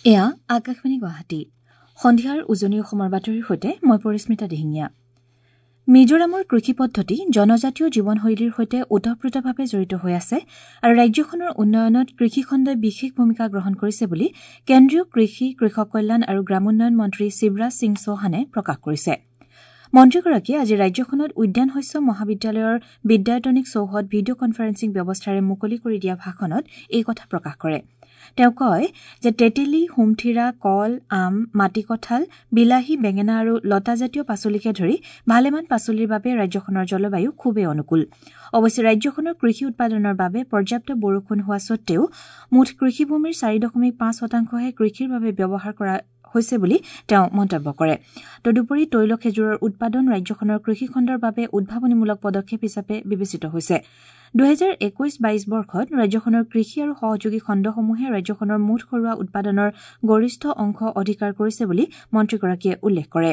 এয়া আকাশবাণী গুৱাহাটী। সন্ধিয়াৰ উজনি অসমৰ বাতৰিৰ সৈতে মই পৰিস্মিতা দিহিঙীয়া। মিজোৰামৰ কৃষি পদ্ধতি জনজাতীয় জীৱনশৈলীৰ সৈতে ওতঃপ্ৰোতভাৱে জড়িত হৈ আছে আৰু ৰাজ্যখনৰ উন্নয়নত কৃষিখণ্ডই বিশেষ ভূমিকা গ্ৰহণ কৰিছে বুলি কেন্দ্ৰীয় কৃষি, কৃষক কল্যাণ আৰু গ্ৰামোন্নয়ন মন্ত্ৰী শিৱৰাজ সিং চৌহানে প্ৰকাশ কৰিছে। মন্ত্ৰীগৰাকীয়ে আজি ৰাজ্যখনত উদ্যান শস্য মহাবিদ্যালয়ৰ বিদ্যায়তনিক চৌহদ ভিডিঅ কনফাৰেন্সিং ব্যৱস্থাৰে মুকলি কৰি দিয়া ভাষণত এই কথা প্ৰকাশ কৰে। তেওঁ কয় যে তেতেলী, সুমথিৰা, কল, আম, মাটিকঁঠাল, বিলাহী, বেঙেনা আৰু লতাজাতীয় পাচলিকে ধৰি ভালেমান পাচলিৰ বাবে ৰাজ্যখনৰ জলবায়ু খুবেই অনুকূল। অৱশ্যে ৰাজ্যখনৰ কৃষি উৎপাদনৰ বাবে পৰ্যাপ্ত বৰষুণ হোৱা সত্বেও মুঠ কৃষিভূমিৰ 4.5 শতাংশহে কৃষিৰ বাবে ব্যৱহাৰ কৰা হৈছে বুলি তেওঁ মন্তব্য কৰে। তদুপৰি তৈল খেজুৰৰ উৎপাদন ৰাজ্যখনৰ কৃষিখণ্ডৰ বাবে উদ্ভাৱনীমূলক পদক্ষেপ হিচাপে বিবেচিত হৈছে। 2021-22 বৰ্ষত ৰাজ্যখনৰ কৃষি আৰু সহযোগী খণ্ডসমূহে ৰাজ্যখনৰ মুঠ ঘৰুৱা উৎপাদনৰ গৰিষ্ঠ অংশ অধিকাৰ কৰিছে বুলি মন্ত্ৰীগৰাকীয়ে উল্লেখ কৰে।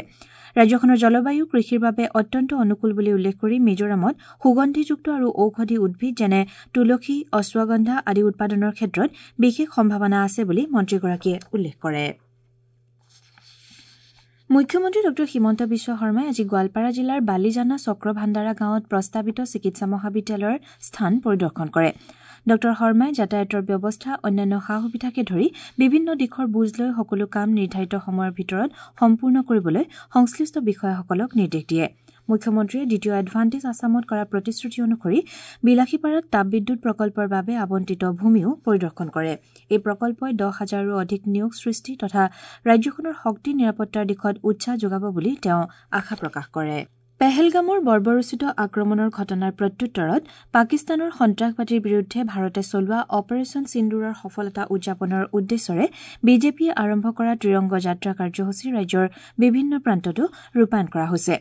ৰাজ্যখনৰ জলবায়ু কৃষিৰ বাবে অত্যন্ত অনুকূল বুলি উল্লেখ কৰি মিজোৰামত সুগন্ধিযুক্ত আৰু ঔষধি উদ্ভিদ যেনে তুলসী, অশ্বগন্ধা আদি উৎপাদনৰ ক্ষেত্ৰত বিশেষ সম্ভাৱনা আছে বুলি মন্ত্ৰীগৰাকীয়ে উল্লেখ কৰে। মুখ্যমন্ত্ৰী ডঃ হিমন্ত বিশ্ব শৰ্মাই আজি গোৱালপাৰা জিলাৰ বালিজানা চক্ৰভাণ্ডাৰা গাঁৱত প্ৰস্তাৱিত চিকিৎসা মহাবিদ্যালয়ৰ স্থান পৰিদৰ্শন কৰে। ডঃ শৰ্মাই যাতায়াতৰ ব্যৱস্থা, অন্যান্য সা সুবিধাকে ধৰি বিভিন্ন দিশৰ বুজ লৈ সকলো কাম নিৰ্ধাৰিত সময়ৰ ভিতৰত সম্পূৰ্ণ কৰিবলৈ সংশ্লিষ্ট বিষয়াসকলক নিৰ্দেশ দিয়ে। মুখ্যমন্ত্ৰীয়ে দ্বিতীয় এডভান্টেজ আছামত কৰা প্ৰতিশ্ৰুতি অনুসৰি বিলাসীপাৰাত তাপবিদ্যুৎ প্ৰকল্পৰ বাবে আবণ্টিত ভূমিও পৰিদৰ্শন কৰে। এই প্ৰকল্পই 10 হাজাৰৰো অধিক নিয়োগ সৃষ্টি তথা ৰাজ্যখনৰ শক্তি নিৰাপত্তাৰ দিশত উৎসাহ যোগাব বুলি তেওঁ আশা প্ৰকাশ কৰে। পেহেলগামৰ বৰ্বৰোচিত আক্ৰমণৰ ঘটনাৰ প্ৰত্যুত্তৰত পাকিস্তানৰ সন্ত্ৰাসবাদীৰ বিৰুদ্ধে ভাৰতে চলোৱা অপাৰেচন সিন্দুৰৰ সফলতা উদযাপনৰ উদ্দেশ্যৰে বিজেপিয়ে আৰম্ভ কৰা ত্ৰিৰংগ যাত্ৰা কাৰ্যসূচী ৰাজ্যৰ বিভিন্ন প্ৰান্ততো ৰূপায়ণ কৰা হৈছে।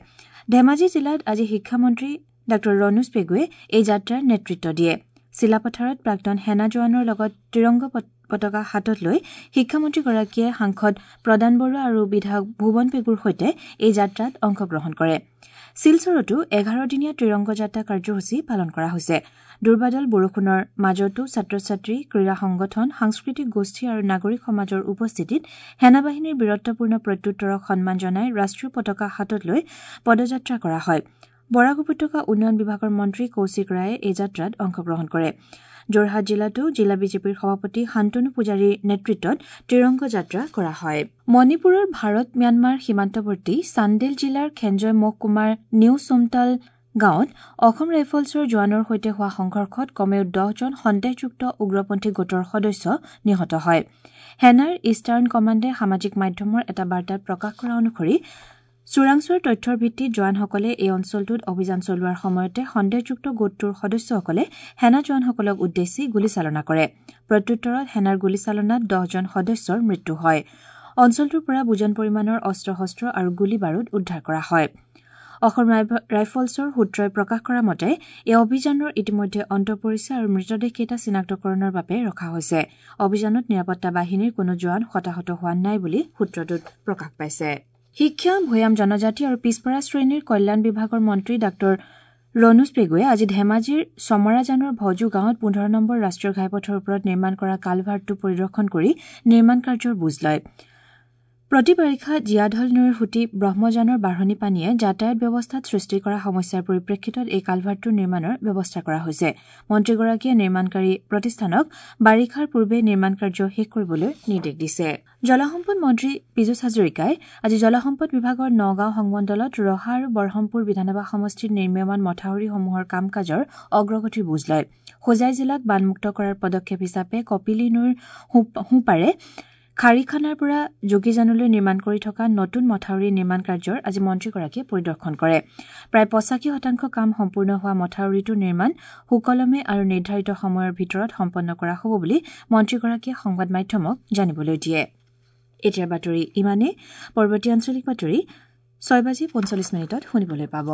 ধেমাজি জিলাত আজি শিক্ষামন্ত্ৰী ডাঃ ৰণোজ পেগুৱে এই যাত্ৰাৰ নেতৃত্ব দিয়ে। চিলাপথাৰত প্ৰাক্তন সেনা জোৱানৰ লগত ত্ৰিৰংগ পতাকা হাতত লৈ শিক্ষামন্ত্ৰীগৰাকীয়ে সাংসদ প্ৰদান বৰুৱা আৰু বিধায়ক ভুৱন পেগুৰ সৈতে এই যাত্ৰাত অংশগ্ৰহণ কৰে। শিলচৰতো 11 দিনীয়া ত্ৰিৰংগ যাত্ৰা কাৰ্যসূচী পালন কৰা হৈছে। দুৰ্বাদল বৰষুণৰ মাজতো ছাত্ৰ ছাত্ৰী, ক্ৰীড়া সংগঠন, সাংস্কৃতিক গোষ্ঠী আৰু নাগৰিক সমাজৰ উপস্থিতিত সেনাবাহিনীৰ বীৰত্বপূৰ্ণ প্ৰত্যুত্তৰক সন্মান জনাই ৰাষ্ট্ৰীয় পতাকা হাতত লৈ পদযাত্ৰা কৰা হয়। বৰাক উপত্যকা উন্নয়ন বিভাগৰ মন্ত্ৰী কৌশিক ৰায়ে এই যাত্ৰাত অংশগ্ৰহণ কৰে। যোৰহাট জিলাতো জিলা বিজেপিৰ সভাপতি শান্তনু পূজাৰীৰ নেতৃত্বত ত্ৰিৰংগ যাত্ৰা কৰা হয়। মণিপুৰৰ ভাৰত ম্যানমাৰ সীমান্তৱৰ্তী চান্দেল জিলাৰ খেঞ্জয় মহকুমাৰ নিউ চোমতাল গাঁৱত অসম ৰাইফলছৰ জোৱানৰ সৈতে হোৱা সংঘৰ্ষত কমেও 10জন সন্দেহযুক্ত উগ্ৰপন্থী গোটৰ সদস্য নিহত হয়। সেনাৰ ইষ্টাৰ্ণ কমাণ্ডে সামাজিক মাধ্যমৰ এটা বাৰ্তাত প্ৰকাশ কৰা অনুসৰি চোৰাংচোৱাৰ তথ্যৰ ভিত্তিত জোৱানসকলে এই অঞ্চলটোত অভিযান চলোৱাৰ সময়তে সন্দেহযুক্ত গোটটোৰ সদস্যসকলে সেনা জোৱানসকলক উদ্দেশ্যি গুলীচালনা কৰে। প্ৰত্যুত্তৰত সেনাৰ গুলীচালনাত 10জন সদস্যৰ মৃত্যু হয়। অঞ্চলটোৰ পৰা বুজন পৰিমাণৰ অস্ত্ৰ শস্ত্ৰ আৰু গুলী বাৰুদ উদ্ধাৰ কৰা হয়। অসম ৰাইফলছৰ সূত্ৰই প্ৰকাশ কৰা মতে এই অভিযানৰ ইতিমধ্যে অন্ত পৰিছে আৰু মৃতদেহকেইটা চিনাক্তকৰণৰ বাবে ৰখা হৈছে। অভিযানত নিৰাপত্তা বাহিনীৰ কোনো জোৱান হতাহত হোৱা নাই বুলি সূত্ৰটোত প্ৰকাশ পাইছে। শিক্ষা, ভৈয়াম জনজাতি আৰু পিছপৰা শ্ৰেণীৰ কল্যাণ বিভাগৰ মন্ত্ৰী ডাঃ ৰণোজ পেগুৱে আজি ধেমাজিৰ চমৰাজানৰ ভজু গাঁৱত 15 নম্বৰ ৰাষ্ট্ৰীয় ঘাইপথৰ ওপৰত নিৰ্মাণ কৰা কালভাৰ্টটো পৰিদৰ্শন কৰি নিৰ্মাণ কাৰ্যৰ বুজ লয়। প্ৰতি বাৰিষা জীয়াঢল নৈৰ সুঁতি ব্ৰহ্মজানৰ বাঢ়নী পানীয়ে যাতায়াত ব্যৱস্থাত সৃষ্টি কৰা সমস্যাৰ পৰিপ্ৰেক্ষিতত এই কালভাৰ্টটোৰ নিৰ্মাণৰ ব্যৱস্থা কৰা হৈছে। মন্ত্ৰীগৰাকীয়ে নিৰ্মাণকাৰী প্ৰতিষ্ঠানক বাৰিষাৰ পূৰ্বে নিৰ্মাণ কাৰ্য শেষ কৰিবলৈ নিৰ্দেশ দিছে। জলসম্পদ মন্ত্ৰী পীযুষ হাজৰিকাই আজি জলসম্পদ বিভাগৰ নগাঁও সংমণ্ডলত ৰহা আৰু বৰহমপুৰ বিধানসভা সমষ্টিৰ নিৰ্মীয়মান মথাউৰিসমূহৰ কাম কাজৰ অগ্ৰগতিৰ বুজ লয়। হোজাই জিলাক বানমুক্ত কৰাৰ পদক্ষেপ হিচাপে কপিলী নৈৰ সোঁপাৰে খাৰিখানাৰ পৰা যোগীজানলৈ নিৰ্মাণ কৰি থকা নতুন মথাউৰি নিৰ্মাণ কাৰ্যৰ আজি মন্ত্ৰীগৰাকীয়ে পৰিদৰ্শন কৰে। প্ৰায় 85% কাম সম্পূৰ্ণ হোৱা মথাউৰিটোৰ নিৰ্মাণ সুকলমে আৰু নিৰ্ধাৰিত সময়ৰ ভিতৰত সম্পন্ন কৰা হ'ব বুলি মন্ত্ৰীগৰাকীয়ে সংবাদ মাধ্যমক জানিবলৈ দিয়ে। এতিয়াৰ বাতৰি ইমানেই। পৰৱৰ্তী আঞ্চলিক বাতৰি 6 বাজি 45 মিনিটত শুনিবলৈ পাব।